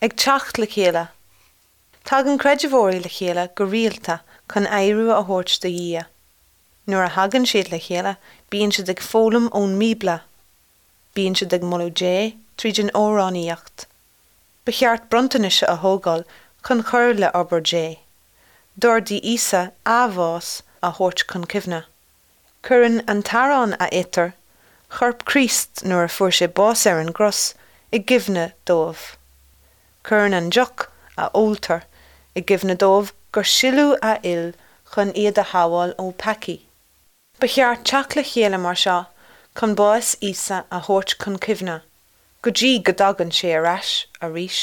Ag teacht le chéile. Tagann creidiomhóirí le chéile go rialta chun adhradh a thabhairt do Dhia. Nuair a thagann siad le chéile bíonn siad ag foghlaim ón mBíobla. Bíonn siad ag moladh Dé tríd an amhránaíocht. Ba cheart bronntanais a thógáil chun cur le obair Dé. D'ordaigh Íosa a bhás a thabhairt chun cuimhne. Cuireann an t-arán a itear, corp Chríost nuair a fuair sé bás ar an gcros, i gcuimhne dóibh. Cuireann an deoch a óltar i gcuimhne dóibh gur sileadh a fhuil chun iad a shábháil ó peacaí. Ba cheart teacht le chéile mar seo chun bás Íosa a thabhairt chun cuimhne, go dtí go dtagann sé ar ais arís.